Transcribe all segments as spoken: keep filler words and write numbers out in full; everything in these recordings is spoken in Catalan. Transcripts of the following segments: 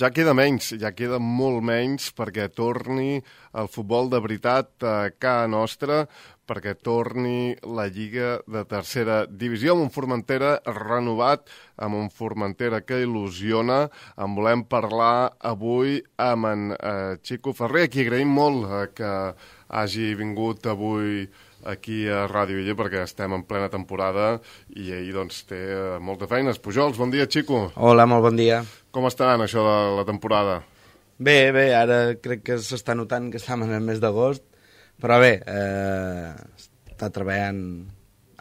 Ja queda menys, ja queda molt menys perquè torni el futbol de veritat a casa nostra, perquè torni la Lliga de tercera divisió amb un Formentera renovat, amb un Formentera que il·lusiona. En volem parlar avui amb en eh, Xico Ferrer, a qui agraïm molt eh, que hagi vingut avui aquí a Ràdio Illa, perquè estem en plena temporada i ell doncs, té molta feina. Pujols, bon dia, Xico. Hola, molt bon dia. Com està anant això de la temporada? Bé, bé, ara crec que s'està notant que estem en el mes d'agost, però bé, eh, està treballant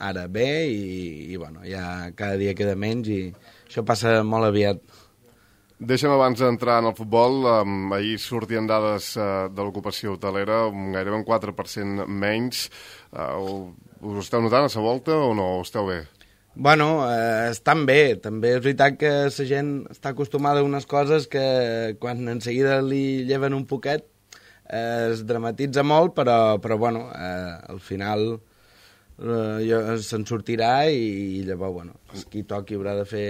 ara bé i, i bueno, ja cada dia queda menys i això passa molt aviat. Deixa'm abans d'entrar en el futbol, um, ahir sortien dades uh, de l'ocupació hotelera, um, gairebé un quatre per cent menys. Uh, us esteu notant a la volta o no? O esteu bé? Bueno, eh, estan bé. També és veritat que la gent està acostumada a unes coses que quan en seguida li lleven un poquet eh, es dramatitza molt, però, però bueno, eh, al final eh, se'n sortirà i, i llavors, bueno, qui toqui haurà de fer...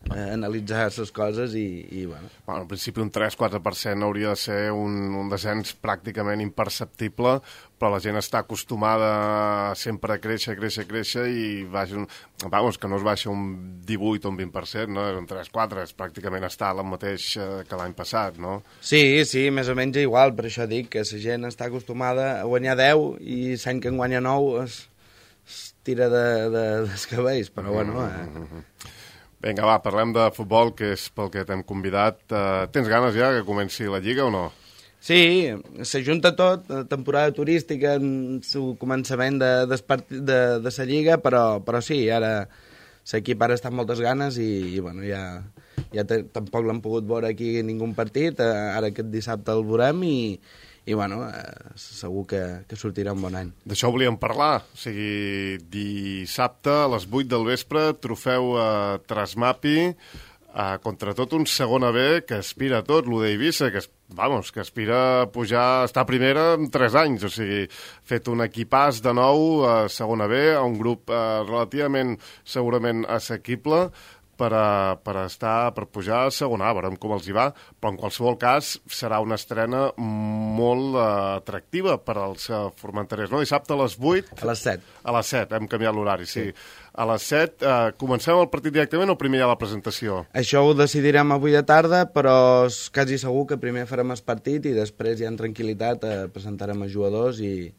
Eh, analitzar les coses i, i bueno. Bueno, en principi un tres quatre per cent hauria de ser un, un descens pràcticament imperceptible, però la gent està acostumada sempre a créixer, créixer, créixer i baixa un, vamos, que no es baixa un divuit o un vint per cent, no? Un tres quatre, és pràcticament està el mateix que l'any passat, no? Sí, sí, més o menys igual, per això dic que la gent està acostumada a guanyar deu i l'any que en guanya nou es, es tira de, de, dels cabells, però bueno... Eh... Mm-hmm. Vinga, va, parlem de futbol, que és pel que t'hem convidat. Uh, tens ganes ja que comenci la Lliga o no? Sí, s'ajunta tot, temporada turística, el començament de, de, de, de la Lliga, però, però sí, ara l'equip ara està amb moltes ganes i, i bueno, ja, ja te, tampoc l'han pogut veure aquí ningú partit, ara aquest dissabte el veurem i, i bueno, eh, segur que, que sortirà un bon any. D'això volíem parlar, o sigui, dissabte a les vuit del vespre, trofeu a Trasmapi, eh, contra tot un segona B que aspira a tot, l'U D Eivissa, que, vamos, que aspira a pujar, estar a primera en tres anys, o sigui, fet un equipàs de nou a segona B, a un grup eh, relativament, segurament, assequible, per, a, per estar, per pujar a segona A, veurem com els hi va, però en qualsevol cas serà una estrena molt uh, atractiva per als uh, formenterers, no? Dissabte a les vuit... A les set. A les set, hem canviat l'horari, sí. sí. A les set, uh, comencem el partit directament o primer hi ha la presentació? Això ho decidirem avui de tarda, però és quasi segur que primer farem el partit i després ja en tranquil·litat eh, presentarem els jugadors i...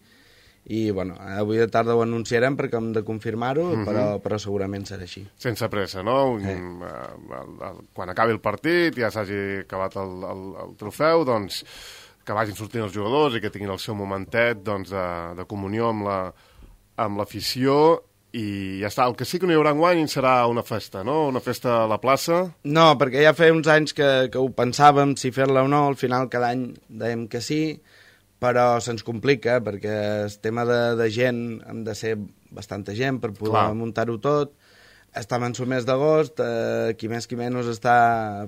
i bueno, avui de tarda ho anunciarem perquè hem de confirmar-ho, uh-huh. però, però segurament serà així. Sense pressa, no? Un, eh. el, el, quan acabi el partit, ja s'hagi acabat el, el, el trofeu, doncs que vagin sortint els jugadors i que tinguin el seu momentet doncs, de, de comunió amb la, amb l'afició i ja està. El que sí que no hi haurà enguany serà una festa, no? Una festa a la plaça? No, perquè ja feia uns anys que, que ho pensàvem, si fer-la o no, al final cada any dèiem que sí, però se'ns complica, perquè el tema de, de gent hem de ser bastanta gent per poder Clar. muntar-ho tot. Estem en el mes d'agost, eh, qui més qui menys està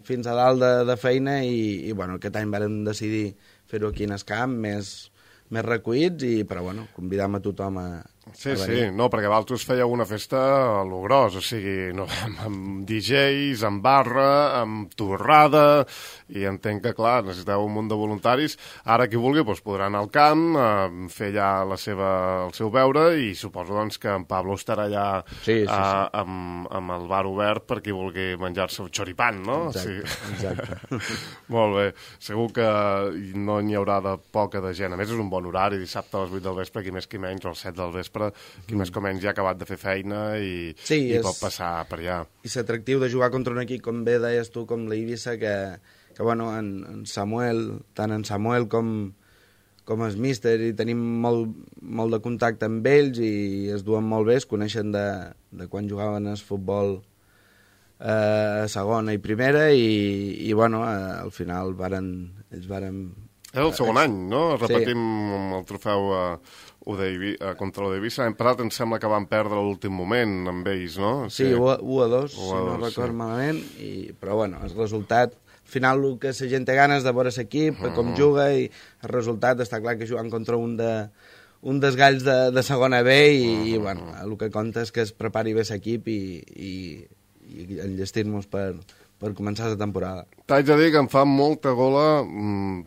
fins a dalt de, de feina i, i bueno, aquest any vam decidir fer-ho aquí en el camp, més, més recollits, i, però bueno, convidam a tothom a, Sí, sí, no, perquè vosaltres fèieu una festa a lo gros, o sigui, no, amb, amb D Js, amb barra, amb torrada, i entenc que, clar, necessiteu un munt de voluntaris. Ara, qui vulgui, doncs, podrà anar al camp, eh, fer allà la seva, el seu beure, i suposo doncs, que en Pablo estarà allà sí, sí, sí. Eh, amb, amb el bar obert per qui vulgui menjar-se un xoripan, no? Exacte, sí. exacte. Molt bé, segur que no n'hi haurà de poca de gent. A més, és un bon horari, dissabte a les vuit del vespre, qui més qui menys, o a les set del vespre, qui més o menys ja ha acabat de fer feina i, sí, i és... pot passar per allà. I l'atractiu de jugar contra un equip, com bé deies tu, com l'Eivissa, que, que bueno, en, en Samuel, tant en Samuel com, com el míster, i tenim molt, molt de contacte amb ells i es duen molt bé, es coneixen de, de quan jugaven al futbol eh, a segona i primera i, i bueno, eh, al final varen, ells varen... És el segon any, no? Repetim sí. el trofeu uh, U D I, uh, contra l'U D Eivissa. L'any passat em sembla que van perdre l'últim moment amb ells, no? Sí, sí. u a dos, si no record sí. malament, i, però bueno, el resultat... Al final el que la gent té ganes de veure l'equip, uh -huh. com juga, i el resultat està clar que jugant contra un de un dels galls de, de segona B i, uh -huh. i bueno, el que compta és que es prepari bé l'equip i, i, i enllestir-nos per, per començar la temporada. T'haig de dir que em fa molta gola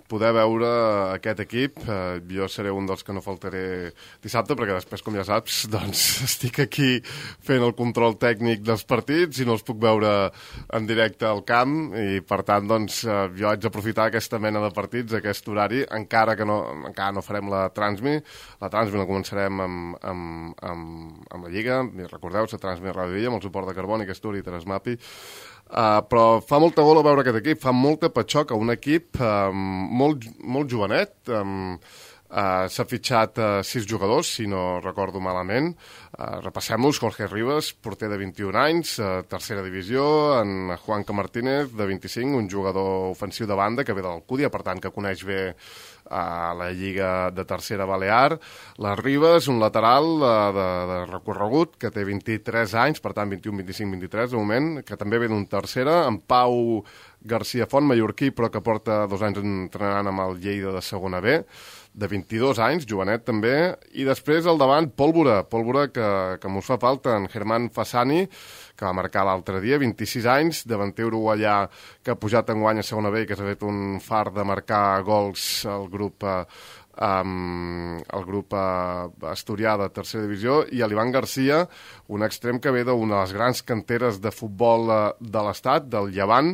poder veure aquest equip. Eh, jo seré un dels que no faltaré dissabte, perquè després, com ja saps, doncs estic aquí fent el control tècnic dels partits i no els puc veure en directe al camp, i per tant, doncs, eh, jo haig d'aprofitar aquesta mena de partits, aquest horari, encara que no, encara no farem la Transmi. La Transmi la començarem amb, amb, amb, amb la Lliga, recordeu, la Transmi a Ràdio Villa, amb el suport de Carboni, Asturi i Transmapi. Uh, però fa molta gola veure aquest equip, fa molta patxoca, un equip um, molt, molt jovenet. um, uh, s'ha fitxat uh, sis jugadors, si no recordo malament. Uh, repassem-los: Jorge Rivas, porter de vint-i-un anys, uh, tercera divisió; en Juanca Martínez, de vint-i-cinc, un jugador ofensiu de banda que ve de l'Alcúdia, per tant que coneix bé a la Lliga de Tercera Balear. La Ribas, un lateral de, de, de recorregut, que té vint-i-tres anys, per tant vint-i-un, vint-i-cinc, vint-i-tres de moment, que també ve d'un tercera. En Pau García Font, mallorquí, però que porta dos anys entrenant amb el Lleida de segona B, de vint-i-dos anys, jovenet també. I després al davant, Pólvora, Pólvora que, que mos fa falta, en Germán Fasani, que va marcar l'altre dia, vint-i-sis anys, davanter uruguaià que ha pujat enguany a segona B i que s'ha fet un far de marcar gols al grup eh, um, el grup uh, asturià de tercera divisió, i a l'Ivan Garcia, un extrem que ve d'una de les grans canteres de futbol uh, de l'estat, del Llevant,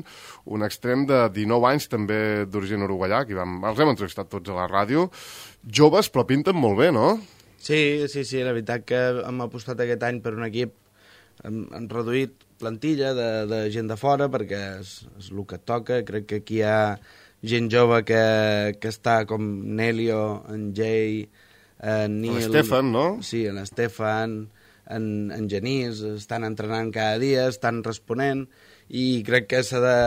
un extrem de dinou anys, també d'origen uruguaià, que vam, els hem entrevistat tots a la ràdio. Joves, però pinten molt bé, no? Sí, sí, sí, la veritat que hem apostat aquest any per un equip. Hem, hem reduït plantilla de, de gent de fora perquè és, és el que et toca. Crec que aquí hi ha gent jove que, que està com Nelio, en Jay, en Nil... L'Estefan, no? Sí, en l'Estefan, en, en Genís, estan entrenant cada dia, estan responent, i crec que s'ha de...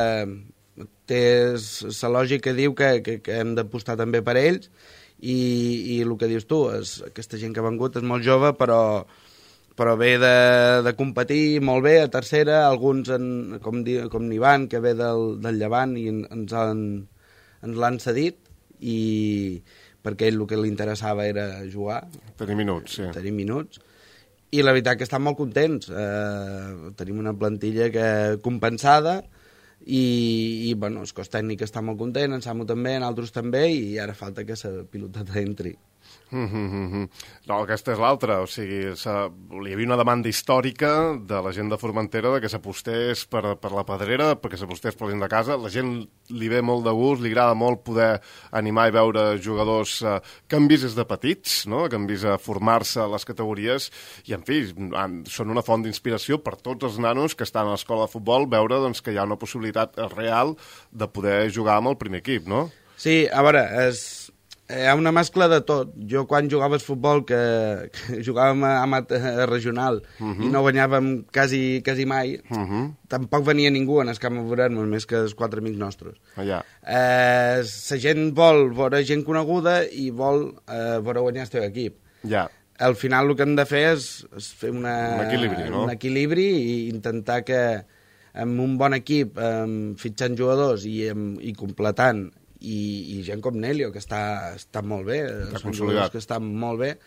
té la lògica diu que, que, que hem d'apostar també per ells, i, i el que dius tu, és, aquesta gent que ha vengut és molt jove, però... però ve de, de competir molt bé a tercera, alguns, en, com, di, com n'Ivan, que ve del, del Llevant, i ens, han, ens l'han cedit, i perquè ell el que li interessava era jugar. Tenir minuts, sí. Tenir minuts. I la veritat que estan molt contents. Eh, tenim una plantilla que compensada, i, i bueno, el cos tècnic està molt content, en Samu també, en altres també, i ara falta que la piloteta entri. Mm -hmm. No, aquesta és l'altra, o sigui, hi havia una demanda històrica de la gent de Formentera de que s'apostés per, per la pedrera, perquè s'apostés per dins de casa. La gent li ve molt de gust, li agrada molt poder animar i veure jugadors eh, que han vist des de petits, no? Que han vist a formar-se a les categories, i en fi, són una font d'inspiració per tots els nanos que estan a l'escola de futbol, veure doncs, que hi ha una possibilitat real de poder jugar amb el primer equip, no? Sí, a veure, és... hi ha una mescla de tot. Jo quan jugava a futbol, que, que jugàvem a, a regional, uh -huh. i no guanyàvem quasi, quasi mai, uh -huh. tampoc venia ningú en el camp a veure'ns, més que els quatre amics nostres. Allà. Eh, la gent vol veure gent coneguda i vol eh, veure guanyar el teu equip. Ja. Al final el que hem de fer és, és fer una, un equilibri, no? un equilibri i intentar que amb un bon equip, eh, fitxant jugadors i, amb, i completant, i, i gent com Nelio, que està, està molt bé, són jugadors que estan molt bé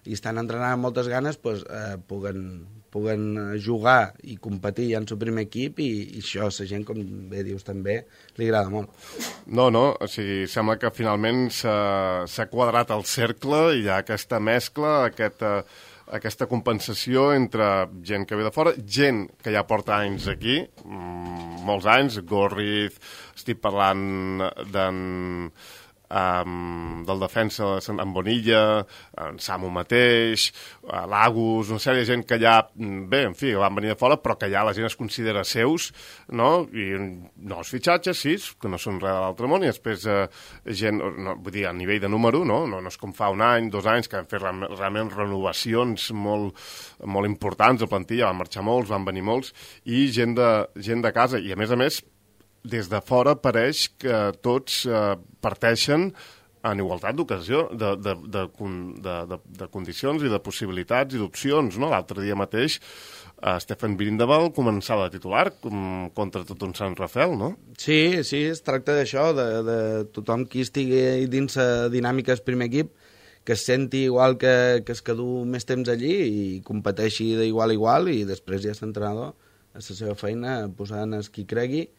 i estan entrenant amb moltes ganes, pues, eh, puguen, puguen jugar i competir ja en el primer equip, i, i això, la gent, com bé dius també, li agrada molt. No, no, o sigui, sembla que finalment s'ha quadrat el cercle i hi ha aquesta mescla, aquesta, aquesta compensació entre gent que ve de fora, gent que ja porta anys aquí, mmm, molts anys, Gorriz, estic parlant d'en... Um, del defensa en Bonilla, en Samu mateix, l'Agus, una sèrie de gent que ja, bé, en fi, van venir de fora, però que ja la gent es considera seus, no? I nous fitxatges, sí, que no són res de l'altre món, i després eh, gent, no, vull dir, a nivell de número, no? No, no és com fa un any, dos anys, que han fet realment renovacions molt, molt importants de plantilla, van marxar molts, van venir molts, i gent de, gent de casa, i a més a més, des de fora pareix que tots eh, parteixen en igualtat d'ocasió, de, de, de, de, de, de condicions i de possibilitats i d'opcions, no? L'altre dia mateix eh, Stefan Birindaval començava de titular com, contra tot un Sant Rafel, no? Sí, sí, es tracta d'això, de, de tothom qui estigui dins la dinàmica del primer equip, que es senti igual que, que es que du més temps allí i competeixi d'igual a igual, i després ja és l'entrenador a la seva feina posant el qui cregui,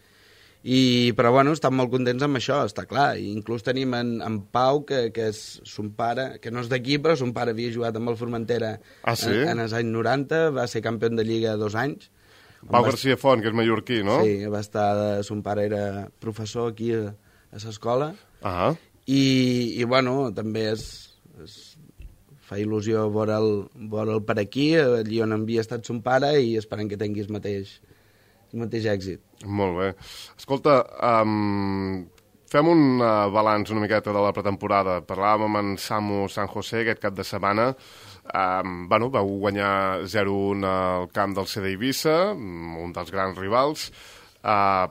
I, però bueno, estan molt contents amb això, està clar. I inclús tenim en, en Pau, que, que és son pare, que no és d'aquí, però son pare havia jugat amb el Formentera ah, sí? en, en els anys noranta, va ser campió de Lliga dos anys. Pau va... García Font, que és mallorquí, no? Sí, va estar, de, son pare era professor aquí a, a l'escola. Ah. I, I, bueno, també és, és, fa il·lusió veure'l veure per aquí, allí on havia estat son pare, i esperem que tingui el mateix, el mateix èxit. Molt bé. Escolta, um, fem un uh, balanç una miqueta de la pretemporada. Parlàvem amb en Samu San José aquest cap de setmana. Um, bueno, vau guanyar zero un al camp del C D Eivissa, un dels grans rivals. Uh,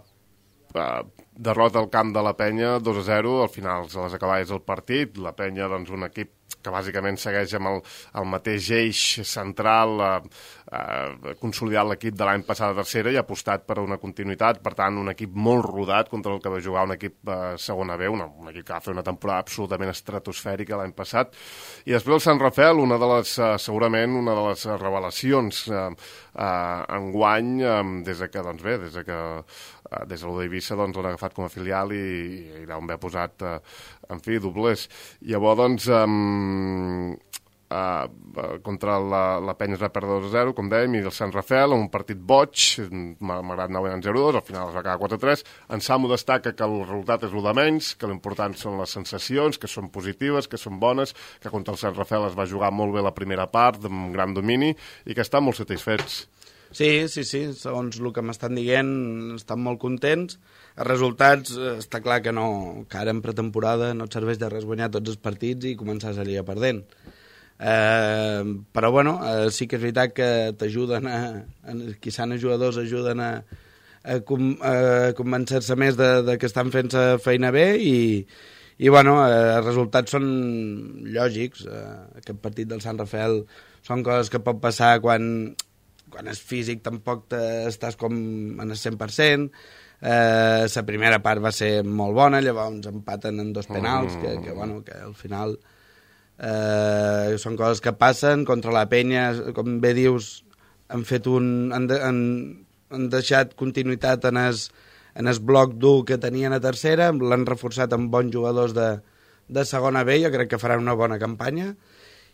uh, derrota al camp de la Penya, dos a zero, al final a les acaballes del partit. La Penya, doncs, un equip que bàsicament segueix amb el, el mateix eix central, eh, eh, consolidat l'equip de l'any passat a tercera i ha apostat per una continuïtat, per tant, un equip molt rodat contra el que va jugar un equip eh, segona B, una, un equip que va fer una temporada absolutament estratosfèrica l'any passat. I després el Sant Rafel, una de les, eh, segurament, una de les revelacions eh, eh, enguany, eh, des de que, doncs bé, des de que eh, des de l'U d'Eivissa doncs, l'han agafat com a filial i, i l'han bé posat, eh, en fi, doblers. Llavors, doncs, um, uh, contra la, la Penya es va perdre dos a zero, com dèiem, i el Sant Rafel, un partit boig, malgrat anar guanyant zero a dos, al final es va quedar quatre a tres. En Samu destaca que el resultat és el de menys, que l'important són les sensacions, que són positives, que són bones, que contra el Sant Rafel es va jugar molt bé la primera part, amb gran domini, i que estan molt satisfets. Sí, sí, sí, segons el que m'estan dient, estan molt contents. Els resultats, està clar que no, que ara en pretemporada no et serveix de res guanyar tots els partits i començar a Lliga perdent. Eh, però, bueno, eh, sí que és veritat que t'ajuden a, a quizà els jugadors ajuden a, a, com, a convencer-se més de, de que estan fent la feina bé i, i bueno, eh, els resultats són lògics. Eh, aquest partit del Sant Rafel són coses que pot passar quan... quan és físic tampoc estàs com en el cent per cent. Eh, la primera part va ser molt bona, llavors empaten en dos penals, que, que, bueno, que al final eh, són coses que passen. Contra la Penya, com bé dius, han fet un... han, de, han, han deixat continuïtat en el, en el bloc dur que tenien a tercera, l'han reforçat amb bons jugadors de, de segona B, jo crec que faran una bona campanya.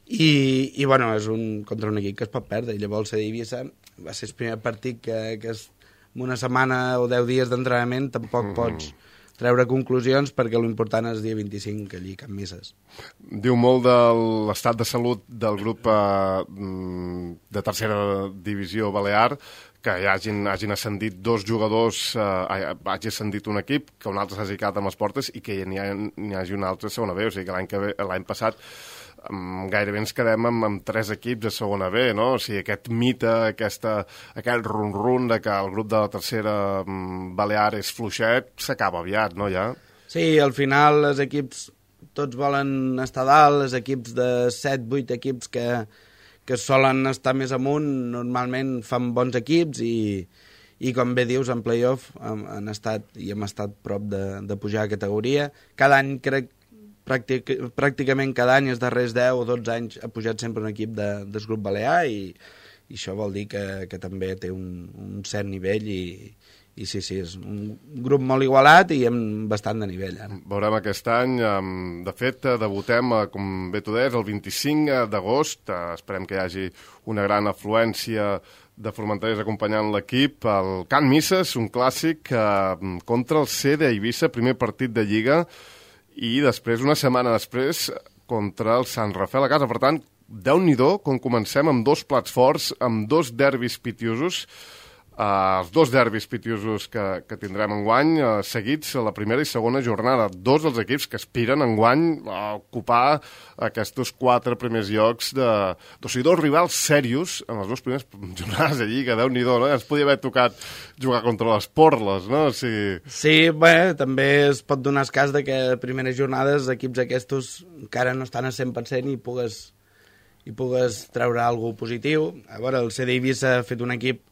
I, i bueno, és un, contra un equip que es pot perdre, i llavors el C D Eivissa va ser el primer partit que, que és, en una setmana o deu dies d'entrenament tampoc mm. pots treure conclusions, perquè l'important és el dia vint-i-cinc, allí Can Misses. Diu molt de l'estat de salut del grup eh, de tercera divisió balear, que ja hagin, hagin ascendit dos jugadors, eh, hagi ascendit un equip, que un altre s'hagi quedat amb les portes i que n'hi hagi un altre a segona B, o sigui que l'any que ve, l'any passat Um, gairebé ens quedem amb, amb tres equips a segona B, no? O sigui, aquest mite, aquesta, aquest run-run de que el grup de la tercera um, balear és fluixet, s'acaba aviat, no, ja? Sí, al final els equips tots volen estar dalt, els equips de set vuit equips que, que solen estar més amunt, normalment fan bons equips i, i com bé dius, en play-off han, han estat i hem estat prop de, de pujar a categoria. Cada any crec Pràctic, pràcticament cada any, els darrers deu o dotze anys, ha pujat sempre un equip de, del grup balear i, i això vol dir que, que també té un, un cert nivell i, i sí, sí, és un grup molt igualat i amb bastant de nivell ara. Veurem aquest any, de fet, debutem, com bé tu deies, el vint-i-cinc d'agost, esperem que hi hagi una gran afluència de formenterers acompanyant l'equip, el Can Misses, un clàssic contra el C D Eivissa, primer partit de Lliga, i després, una setmana després, contra el Sant Rafel a casa. Per tant, déu-n'hi-do, com comencem amb dos plats forts, amb dos derbis pitiosos, Uh, els dos derbis pitiosos que, que tindrem enguany, uh, seguits a la primera i segona jornada. Dos dels equips que aspiren enguany a ocupar aquests quatre primers llocs de... O sigui, dos rivals serios en les dues primeres jornades de Lliga, Déu-n'hi-do, no? Ens podia haver tocat jugar contra les Porles, no? O sigui... Sí, bé, també es pot donar el cas de que a primeres jornades equips aquests encara no estan a cent per cent i pugues, i pugues treure alguna cosa positiu. A veure, el C D Eivissa ha fet un equip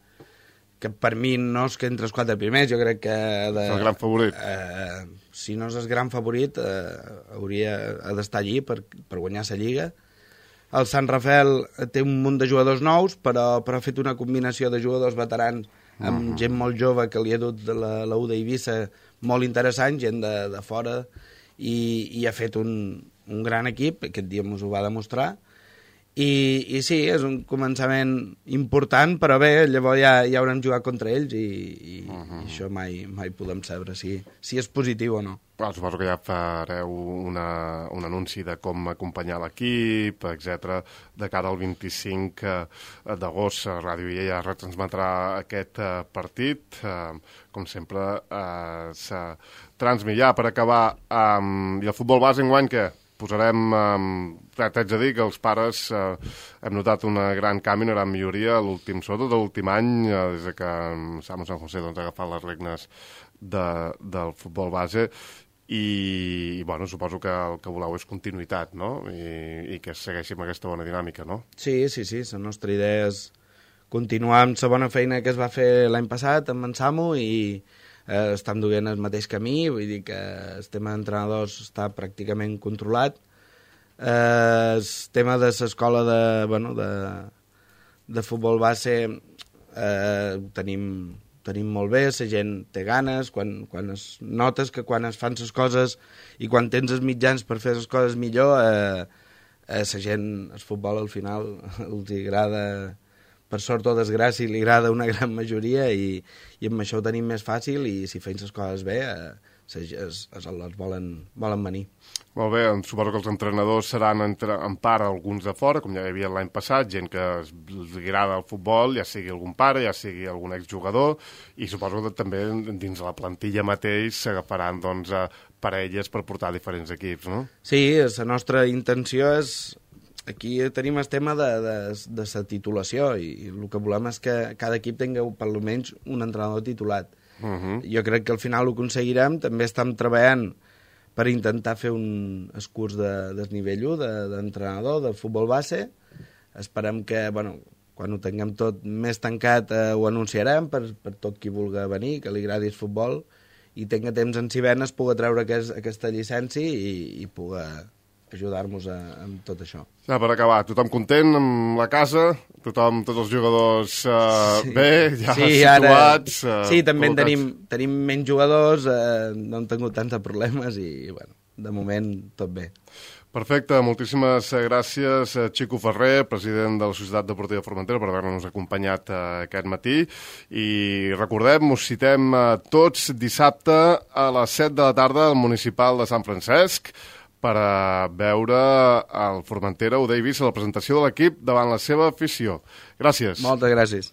que per mi no és que entre els quatre primers, jo crec que... De, és el gran favorit. Eh, si no és el gran favorit, eh, hauria d'estar allí per, per guanyar la Lliga. El Sant Rafel té un munt de jugadors nous, però, però ha fet una combinació de jugadors veterans amb mm -hmm. gent molt jove que li ha dut de la, la U d'Eivissa molt interessant, gent de, de fora, i, i ha fet un, un gran equip, aquest dia ens ho va demostrar, I, i sí, és un començament important, però bé, llavors ja, ja haurem jugat contra ells i, i, uh -huh. i això mai, mai podem saber si, si és positiu o no. Well, suposo que ja fareu una, un anunci de com acompanyar l'equip, etcètera, de cara al vint-i-cinc d'agost. Ràdio I A ja retransmetrà aquest uh, partit. Uh, com sempre, uh, s'ha transmit per acabar. Um, I el futbol base enguany, què? Posarem, eh, t'haig de dir que els pares eh, hem notat una gran canvi, una gran milloria, l'últim, sobretot l'últim any, eh, des que Samu San José doncs, ha agafat les regnes de, del futbol base, i, i bueno, suposo que el que voleu és continuïtat, no? I, i que segueixi amb aquesta bona dinàmica, no? Sí, sí, sí, la nostra idea és continuar amb la bona feina que es va fer l'any passat amb en Samu i Eh, estem duent el mateix camí, vull dir que el tema d'entrenadors està pràcticament controlat. Eh, el tema de l'escola de, bueno, de, de futbol base eh, tenim, tenim molt bé, la gent té ganes, quan, quan es notes que quan es fan les coses i quan tens els mitjans per fer les coses millor, eh, eh, la gent, el futbol al final els agrada, per sort o desgràcia, li agrada una gran majoria i, i amb això ho tenim més fàcil i si feim les coses bé eh, es, es, els volen, volen venir. Molt bé, suposo que els entrenadors seran entre, en part alguns de fora, com ja hi havia l'any passat, gent que els agrada el futbol, ja sigui algun pare, ja sigui algun exjugador, i suposo que també dins la plantilla mateix s'agafaran doncs, parelles per portar diferents equips, no? Sí, la nostra intenció és... Aquí tenim el tema de, de, de la titulació i, i el que volem és que cada equip tingui per almenys un entrenador titulat. Uh -huh. Jo crec que al final ho aconseguirem. També estem treballant per intentar fer un el curs de desnivell u d'entrenador de, de futbol base. Esperem que, bueno, quan ho tinguem tot més tancat eh, ho anunciarem per, per tot qui vulgui venir, que li agradi el futbol i tinga temps en si venes pugui treure aquest, aquesta llicència i, i pugui ajudar-nos amb tot això. Ja, per acabar, tothom content amb la casa, tothom, tots els jugadors uh, sí. bé, ja sí, situats... Ara, uh, sí, també tenim, tenim menys jugadors, uh, no hem tingut tants problemes i, bueno, de moment tot bé. Perfecte, moltíssimes gràcies, Xico Ferrer, president de la Societat Deportiva Formentera, per haver-nos acompanyat uh, aquest matí. I recordem, us citem uh, tots dissabte a les set de la tarda al Municipal de Sant Francesc, per a veure el Formentera U d'Eivissa, la presentació de l'equip davant la seva afició. Gràcies. Moltes gràcies.